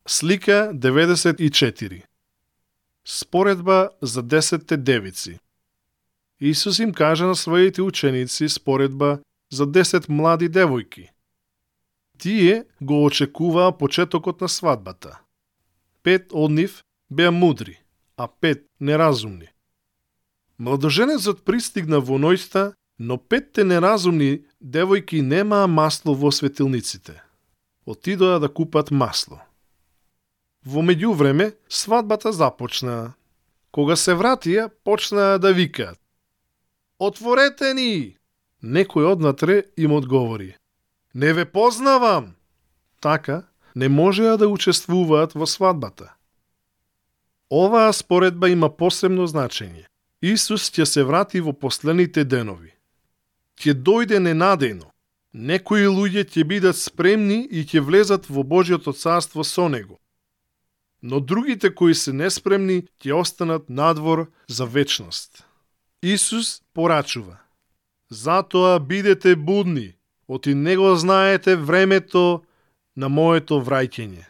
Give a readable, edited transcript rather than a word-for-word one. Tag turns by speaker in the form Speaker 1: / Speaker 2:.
Speaker 1: Слика 94. Споредба за 10 девици. Исус им кажа на своите ученици споредба за 10 млади девојки. Тие го очекуваа почетокот на свадбата. 5 од нив беа мудри, а 5 неразумни. Младоженецот пристигна во ноќта, но 5 неразумни девојки немаа масло во светилниците. Отидоа да купат масло. Во меѓувреме, свадбата започна. Кога се вратија, почнаа да викаат: "Отворете ни!" Некој однатре им одговори: "Не ве познавам!" Така, не можеа да учествуваат во свадбата. Оваа споредба има посебно значење. Исус ќе се врати во последните денови. Ќе дојде ненадејно. Некои луѓе ќе бидат спремни и ќе влезат во Божјото царство со него. Но другите кои се неспремни ќе останат надвор за вечност. Исус порачува: "Затоа бидете будни, оти не го знаете времето на моето враќање."